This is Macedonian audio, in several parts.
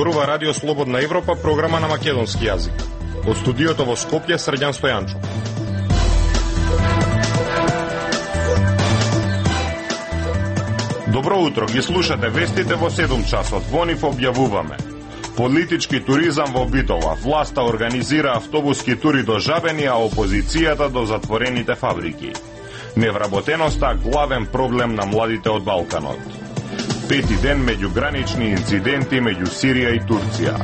Зборува Радио Слободна Европа, програма на македонски јазик. Од студиото во Скопје, Срđan Стојанчов. Добро утро, ги слушате вестите во 7 часот. Во нив објавуваме: политички туризам во Битола, власта организира автобуски тури до Жабени, а опозицијата до затворените фабрики. Невработеноста главен проблем на младите од Балканот. Пети ден меѓугранични инциденти меѓу Сирија и Турција.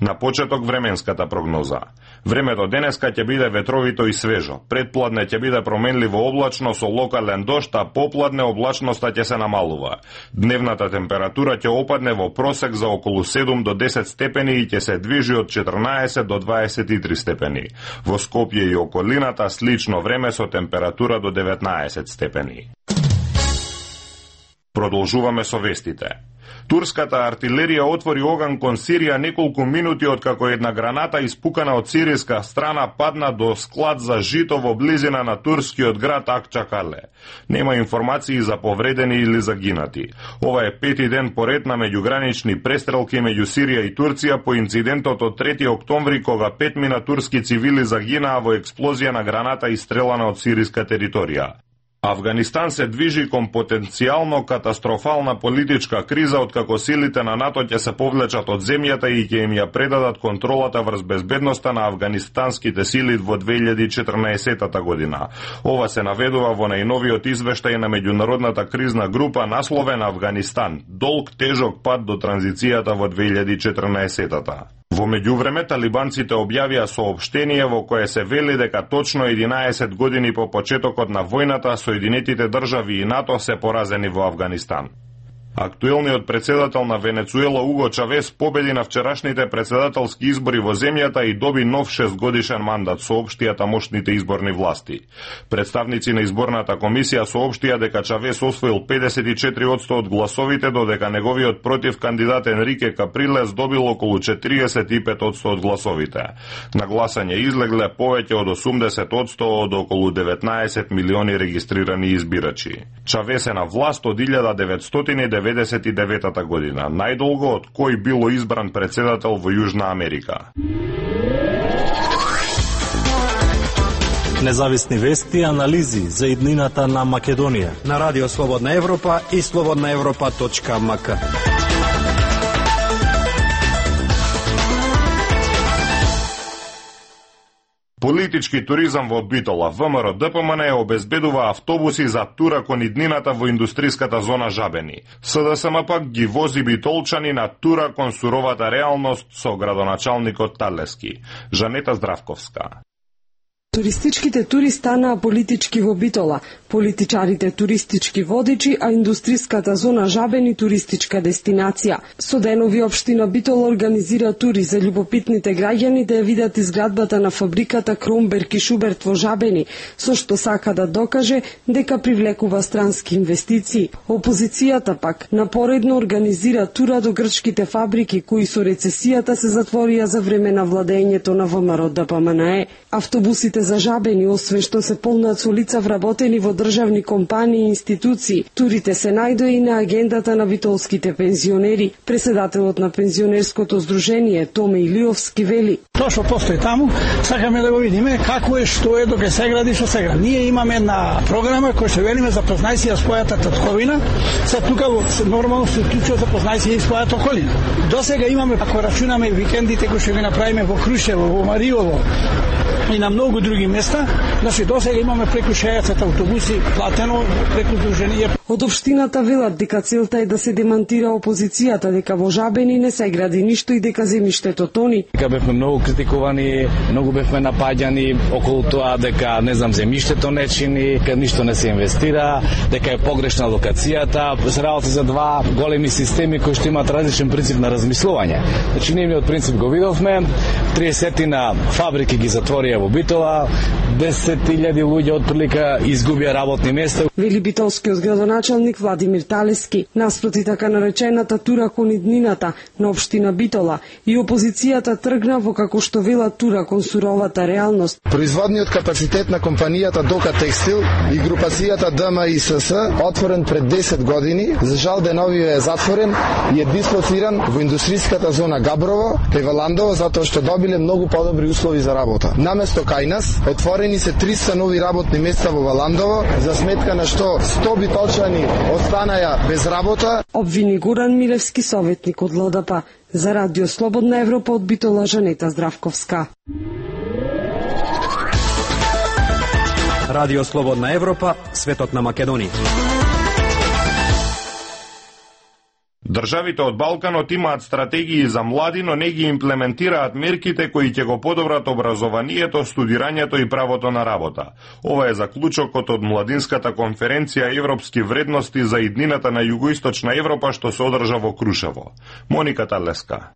На почеток временската прогноза. Времето денеска ќе биде ветровито и свежо. Предпладне ќе биде променливо облачно со локален дожд, а попладне облачноста ќе се намалува. Дневната температура ќе опадне во просек за околу 7 до 10 степени и ќе се движи од 14 до 23 степени. Во Скопје и околината слично време со температура до 19 степени. Продолжуваме со вестите. Турската артилерија отвори оган кон Сирија неколку минути откако една граната испукана од сиријска страна падна до склад за жито во близина на турскиот град Акчакале. Нема информации за повредени или загинати. Ова е пети ден поред на меѓугранични престрелки меѓу Сирија и Турција по инцидентот од 3 октомври кога 5 турски цивили загинаа во експлозија на граната истрелана од сиријска територија. Авганистан се движи кон потенцијално катастрофална политичка криза откако силите на НАТО ќе се повлечат од земјата и ќе им ја предадат контролата врз безбедноста на афганистанските сили во 2014 година. Ова се наведува во најновиот извештај на меѓународната кризна група насловен Авганистан – долг тежок пат до транзицијата во 2014. Во меѓувреме, талибанците објавија соопштение во кое се вели дека точно 11 години по почетокот на војната Соединетите држави и НАТО се поразени во Авганистан. Актуелниот председател на Венецуела Уго Чавес победи на вчерашните председателски избори во земјата и доби нов 6-годишен мандат, соопштија тамошните изборни власти. Представници на изборната комисија соопштија дека Чавес освоил 54% од гласовите, додека неговиот против кандидат Енрике Каприлес добил околу 45% од гласовите. На гласање излегле повеќе од 80% од околу 19 милиони регистрирани избирачи. Чавес е на власт од 1999 година, најдолго од кој било избран председател во Јужна Америка. Независни вести и анализи за иднината на Македонија на Радио Слободна Европа и slobodnaevropa.mk. Политички туризам во Битола. ВМРО ДПМН обезбедува автобуси за тура кон иднината во индустриската зона Жабени. СДСМ пак ги вози битолчани на тура кон суровата реалност со градоначалникот Талески. Жанета Здравковска. Туристичките тури станаа политички во Битола, политичарите туристички водичи, а индустриската зона Жабени туристичка дестинација. Со денови општина Битола организира тури за љубопитните граѓани да ја видат изградбата на фабриката Кромберг и Шуберт во Жабени, со што сака да докаже дека привлекува странски инвестиции. Опозицијата пак напоредно организира тура до грчките фабрики кои со рецесијата се затворија за време на владењето на ВМРО ДПМН. Автобусите за Жабени, освен што се полнат со лица вработени во државни компании и институции, турите се најдоа и на агендата на битолските пензионери. Председателот на пензионерското здружение Томе Илиовски вели: Тоа што постои таму, сакаме да го видиме како е, што е, доке се гради, што се гради. Ние имаме една програма која се велиме запознај си ја својата татковина, се тука нормално се вклучува запознај си и својата околина. Досега имаме, ако рачунаме викендите кои ќе ги направиме во Крушево, во Мариово и на многу други места, значи досега имаме преку 60 автобуси платено преку здружение. Од општината велат дека целта е да се демантира опозицијата дека во Жабени не се гради ништо и дека земјиштето тони. Дека бевме многу критикувани, многу бевме напаѓани околу тоа дека не знам земјиштето не чини, дека ништо не се инвестира, дека е погрешна локацијата, се работи за два големи системи кои што имаат различен принцип на размислување. Значи нивниот принцип го видовме, 30 на фабрики ги затворија рафинерија во Битола, 10.000 луѓе отприлика изгубија работни места. Вели битолскиот градоначалник Владимир Талески. Наспроти така наречената тура кон иднината на општина Битола и опозицијата тргна во, како што вела, тура кон суровата реалност. Производниот капацитет на компанијата Дока Текстил и групацијата ДМИСС, отворен пред 10 години, за жал деновиве е затворен и е дислоциран во индустриската зона Габрово, кај Валандово, затоа што добиле многу подобри услови за работа. Наместо кај нас, отворени се 300 нови работни места во Валандово, за сметка на што 100 битолчани останаја без работа. Обвини Горан Милевски, советник од ЛДП. За Радио Слободна Европа од Битола, Жанета Здравковска. Радио Слободна Европа, светот на Македонија. Државите од Балканот имаат стратегии за млади, но не ги имплементираат мерките кои ќе го подобрат образованието, студирањето и правото на работа. Ова е заклучокот од Младинската конференција Европски вредности за иднината на Југоисточна Европа, што се одржа во Крушево. Моника Талеска.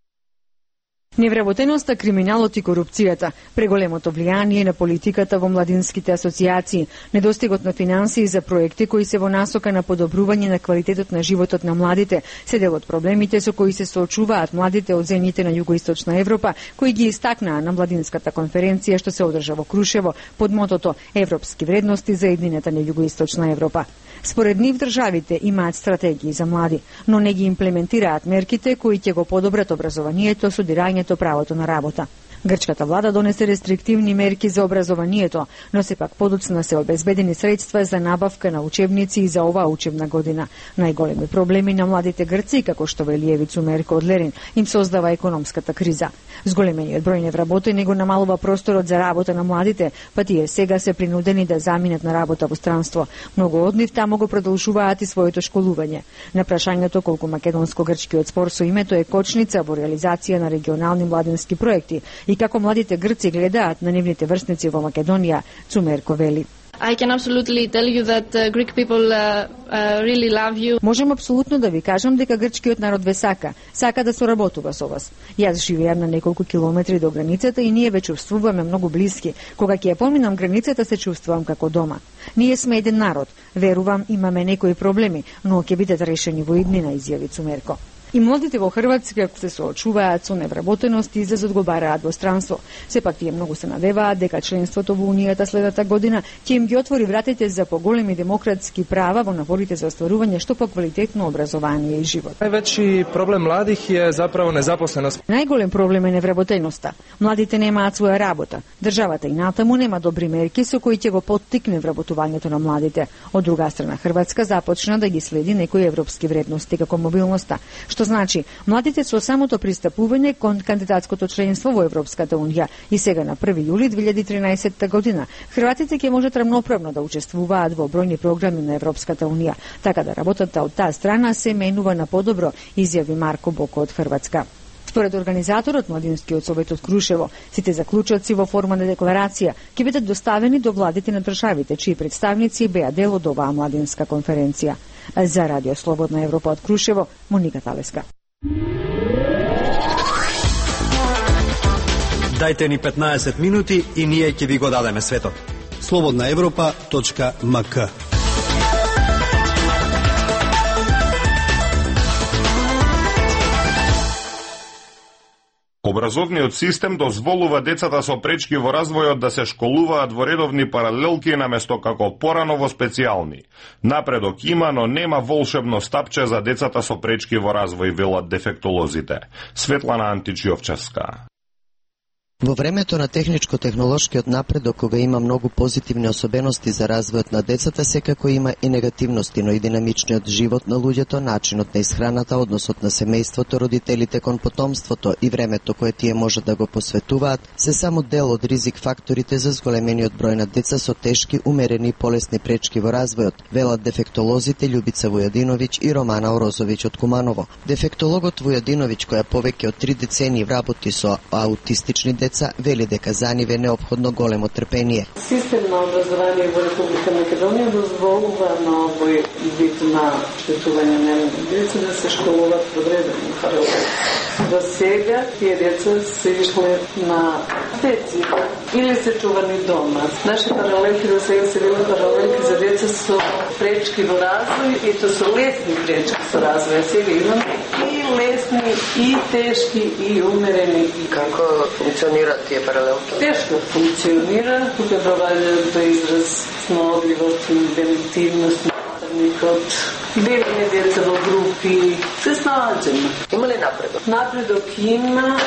Невработеноста, криминалот и корупцијата, преголемото влијание на политиката во младинските асоциации, недостигот на финансии за проекти кои се во насока на подобрување на квалитетот на животот на младите, се дел од проблемите со кои се соочуваат младите од земјите на Југоисточна Европа, кои ги истакнаа на Младинската конференција што се одржа во Крушево под мотото Европски вредности за иднината на Југоисточна Европа. Според нив државите имаат стратегии за млади, но не ги имплементираат мерките кои ќе го подобрат образованието, студирањето, правото на работа. Грчката влада донесе рестриктивни мерки за образованието, но сепак подоцна се обезбедени средства за набавка на учебници и за оваа учебна година. Најголеми проблеми на младите грци, како што вели Евицу Мерко од Лерин, им создава економската криза. Зголемениот број невработени го намалува просторот за работа на младите, па тие сега се принудени да заминат на работа во странство. Многу од нив таму го продолжуваат и своето школување. На прашањето колку македонско-грчкиот спор со името е кочница во реализација на регионални младински проекти и како младите грци гледаат на нивните врсници во Македонија, Цумерко вели. I can absolutely tell you that Greek people really love you. Можем апсолутно да ви кажам дека грчкиот народ ве сака да соработува со вас. Јас живеам на неколку километри до границата и ние ве чувствуваме многу блиски. Кога ќе ја поминам границата се чувствувам како дома. Ние сме еден народ. Верувам, имаме некои проблеми, но ќе бидат решени во иднина, изјави Цумерко. И младите во Хрватска се соочуваат со невработеност и излез одговараат во странство. Сепак тие многу се надеваат дека членството во Унијата следната година ќе им ги отвори вратите за поголеми демократски права во напорите за остварување што поквалитетно образование и живот. Највеќи проблем младих е заправо незапосленост. Најголем проблем е невработеноста. Младите немаат своја работа. Државата и натаму нема добри мерки со кои ќе го поттикне вработувањето на младите. Од друга страна, Хрватска започна да ги следи некои европски вредности како мобилноста, што значи младите со самото пристапување кон кандидатското членство во Европската унија и сега на 1 јули 2013 година хрватите ќе можат рамноправно да учествуваат во бројни програми на Европската унија, така да работата од таа страна се менува на подобро, изјави Марко Боко од Хрватска. Според организаторот Младинскиот совет од Крушево, сите заклучоци во форма на декларација ќе бидат доставени до владите на државите, чии представници беа дел од оваа младинска конференција. За Радио Слободна Европа од Крушево, Моника Талеска. Дајте ни 15 минути и ние ќе ви го дадеме светот. slobodnaevropa.mk. Образовниот систем дозволува децата со пречки во развојот да се школуваат во редовни паралелки наместо како порано во специјални. Напредок има, но нема волшебно стапче за децата со пречки во развој, велат дефектолозите. Светлана Античиовчевска. Во времето на техничко-технолошкиот напредок, кога има многу позитивни особености за развојот на децата, секако има и негативности, но и динамичниот живот на луѓето, начинот на исхраната, односот на семејството, родителите кон потомството и времето кое тие можат да го посветуваат, се само дел од ризик факторите за зголемениот број на деца со тешки, умерени и полесни пречки во развојот, велат дефектолозите Љубица Војадиновиќ и Романа Орозовиќ од Куманово. Дефектологот Војадиновиќ, која повеќе од 3 децении работи со аутистични деца, деца, вели дека за нив е неопходно големо трпение. Систем на образование во Република Македонија дозволува на овој вид на штетување на деца да се школуваат подредено паралелно. До сега тие деца се ишле на деци или се чувани дома. Наши паралелки до сега се били паралелки за деца со пречки во развој и то со лесни пречки со развој. Сега имаме и лесни, и тешки, и умерени. Како функционираат тие паралелки? Тешко функционира, тука доваѓа до израз снодливост, инвентивност, наставникот, бевење деца во групи, се снаоѓаме. Има ли напредок? Напредок има,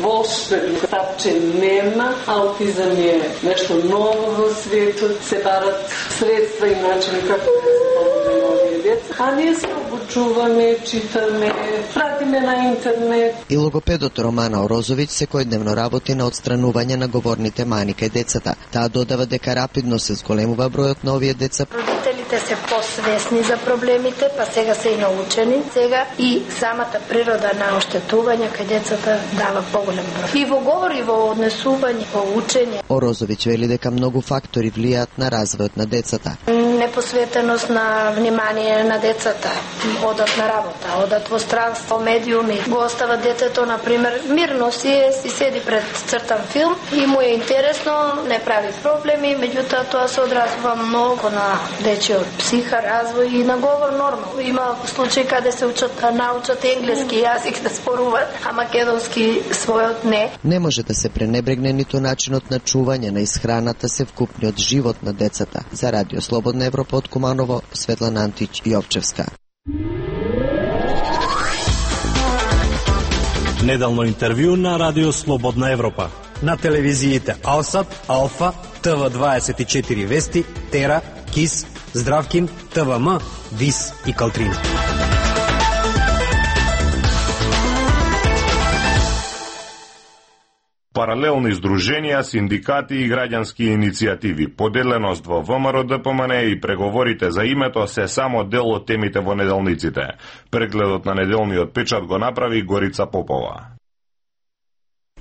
волшебен тапче нема, аутизам е нешто ново во светот, се барат средства и начини како да се помогнат овие деца. А ние се обучуваме, читаме, пратиме на интернет. И логопедот Романа Орозовиќ секојдневно работи на отстранување на говорните мани кај децата. Таа додава дека рапидно се зголемува бројот на овие деца. Родителите се посвесни за проблемите, па сега се и научени. Сега и самата природа на оштетување кај децата дава поголем број. И во говор, и во однесување, во учење. Орозовиќ вели дека многу фактори влијаат на развојот на децата. Непосветеност на внимание на децата, одат на работа, одат во странство, медиуми, го остават детето, например, мирно си седи пред цртан филм и му е интересно, не прави проблеми, меѓутоа тоа се одразува многу на дечиот психа, развој и на говор нормално. Има случаи каде се научат енглески јазик да споруваат, а македонски својот не. Не може да се пренебрегне ниту начинот на чување на исхраната севкупниот живот на децата. За Радио Слободна Европа од Куманово, Светлана Антич Јовчевска. Неделно интервју на Радио Слободна Европа. На телевизиите Алсат, Алфа, ТВ24 Вести, Тера, КИС, Здравкин, ТВМ, ВИС и Калтрина. Паралелни здруженија, синдикати и граѓански иницијативи, поделеност во ВМРО ДПМН и преговорите за името се само дел од темите во неделниците. Прегледот на неделниот печат го направи Горица Попова.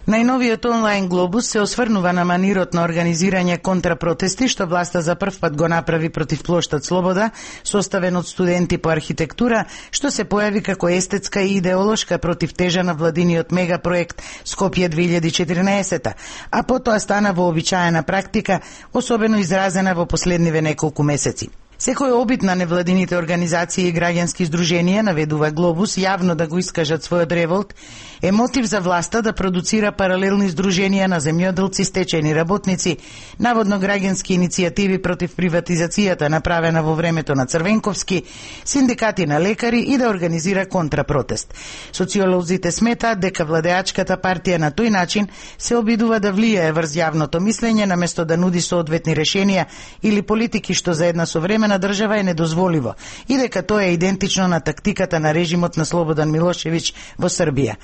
Најновиот онлайн глобус се осврнува на манирот на организирање контрапротести што власта за прв пат го направи против плоштад Слобода, составен од студенти по архитектура, што се појави како естетска и идеолошка против тежа на владиниот мегапроект Скопје 2014, а потоа стана вообичаена практика, особено изразена во последниве неколку месеци. Секој обид на невладините организации и граѓански здруженија, наведува Глобус, јавно да го искажат својот револт, е мотив за власта да продуцира паралелни здруженија на земјоделци, стечајни работници, наводно граѓански иницијативи против приватизацијата направена во времето на Црвенковски, синдикати на лекари и да организира контрапротест. Социолозите сметаат дека владеачката партија на тој начин се обидува да влијае врз јавното мислење наместо да нуди соодветни решенија или политики што за една современа држава е недозволиво и дека тоа е идентично на тактиката на режимот на Слободан Милошевиќ во Србија.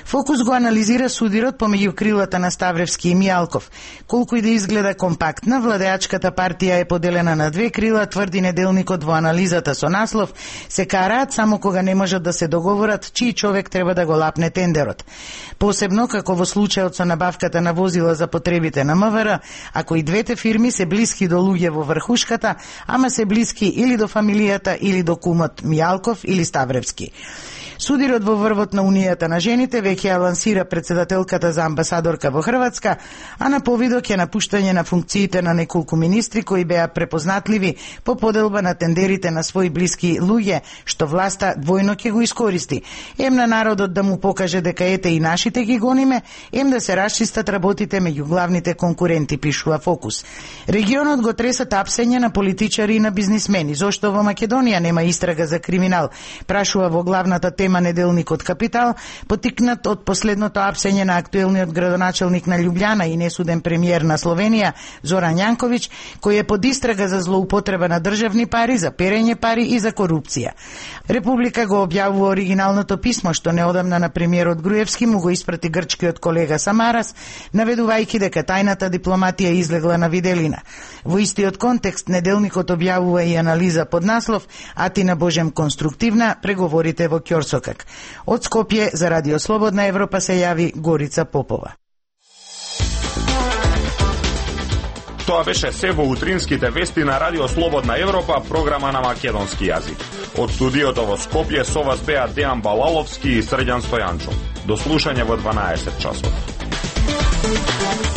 Фокус го анализира судирот помеѓу крилата на Ставревски и Мијалков. Колку и да изгледа компактна, владеачката партија е поделена на две крила, тврди неделникот во анализата со наслов "Се караат само кога не можат да се договорат чиј човек треба да го лапне тендерот". Посебно како во случајот со набавката на возила за потребите на МВР, ако и двете фирми се блиски до луѓе во врхушката, ама се блиски или до фамилијата или до кумот Мијалков или Ставревски. Судирот во врвот на Унијата на жените веќе ја лансира председателката за амбасадорка во Хрватска, а на повидок е напуштање на функциите на неколку министри кои беа препознатливи по поделба на тендерите на своји блиски луѓе, што власта двојно ќе го искористи. Ем на народот да му покаже дека ете и нашите ги гониме, ем да се расчистат работите меѓу главните конкуренти, пишува Фокус. Регионот го тресат апсење на политичари и на бизнисмени. Зошто во Македонија нема истрага за криминал? Прашува во главната тема неделникот Капитал, потикнат од последното апсење на актуелниот градоначелник на Љубљана и несуден премиер на Словенија, Зоран Јанковиќ, кој е под истрага за злоупотреба на државни пари, за перење пари и за корупција. Република го објавува оригиналното писмо што неодамна на премиерот Груевски му го испрати грчкиот колега Самарас, наведувајќи дека тајната дипломатија излегла на виделина. Во истиот контекст неделникот објавува и анализа под наслов "Атина Божем конструктивна, преговорите во Ќорсокак". Од Скопје за Радио Слободна Европа се јави Горица Попова. Тоа беше се во утринските вести на Радио Слободна Европа, програма на македонски јазик. Од студиото во Скопје со вас беа Дејан Балаловски и Срđan Стојанчов. До слушање во 12 часот.